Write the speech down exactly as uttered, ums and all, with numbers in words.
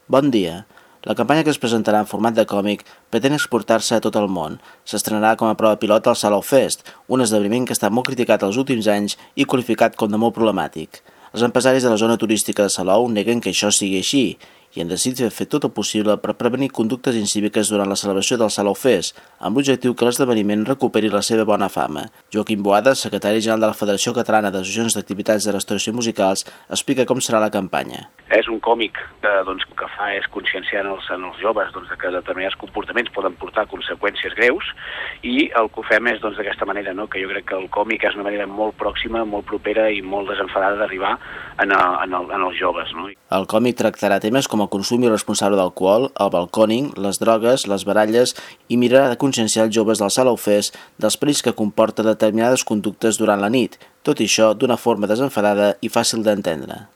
Bon dia. La campanya que es presentarà en format de còmic pretén exportar-se a tot el món. S'estrenarà com a prova pilot al Salou Fest, un esdeveniment que ha estat molt criticat els últims anys i qualificat com de molt problemàtic. Els empresaris de la zona turística de Salou neguen que això sigui així i han decidit fer tot el possible per prevenir conductes incíviques durant la celebració del Salou Fest, amb l'objectiu que l'esdeveniment recuperi la seva bona fama. Joaquim Boada, secretari general de la Federació Catalana d'Associacions d'Activitats de Restauració i Musicals, explica com serà la campanya. És un còmic que, doncs, que fa és conscienciar en els, en els joves doncs, que determinats comportaments poden portar conseqüències greus, i el que ho fem és doncs, d'aquesta manera, no? Que jo crec que el còmic és una manera molt pròxima, molt propera i molt desenfadada d'arribar en, en, el, en els joves. No? El còmic tractarà temes com el consum irresponsable d'alcohol, el balcòning, les drogues, les baralles i mirarà de conscienciar els joves del Salou Fest dels perills que comporta determinades conductes durant la nit, tot i això d'una forma desenfadada i fàcil d'entendre.